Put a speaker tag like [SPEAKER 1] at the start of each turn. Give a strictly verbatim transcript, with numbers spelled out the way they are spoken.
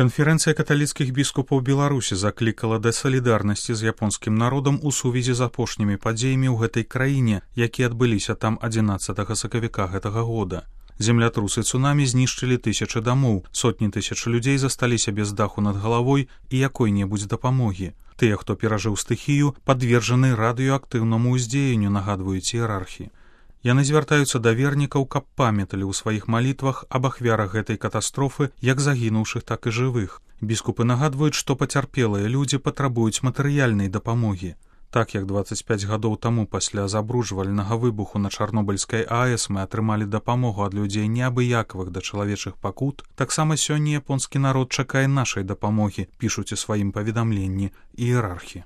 [SPEAKER 1] Канферэнцыя каталіцкіх біскупаў Беларусі заклікала да салідарнасці з японскім народам у сувязі з апошнімі падзеямі ў гэтай краіне, якія адбыліся там адзінаццатага сакавіка гэтага года. Землятрусы цунамі знішчылі тысячы дамоў, сотні тысяч людзей засталіся без даху над галавой і якой-небудзь дапамогі. Тыя, хто перажыў стыхію, падвержаны радыёактыўнаму ўздзеянню, нагадваюць іерархі. Яны звяртаюцца да вернікаў, каб памяталі ў сваіх малітвах аб ахвярах гэтай катастрофы, як загінуўшых, так і жывых. Біскупы нагадваюць, што пацярпелыя людзі патрабуюць матэрыяльнай дапамогі. Так як дваццаць пяць гадоў таму пасля забруджвальнага выбуху на Чарнобыльскай АЭС мы атрымалі дапамогу ад людзей неабыякавых да чалавечых пакут, таксама сёння японскі народ чакае нашай дапамогі, пішуць у сваім паведамленні іерархі.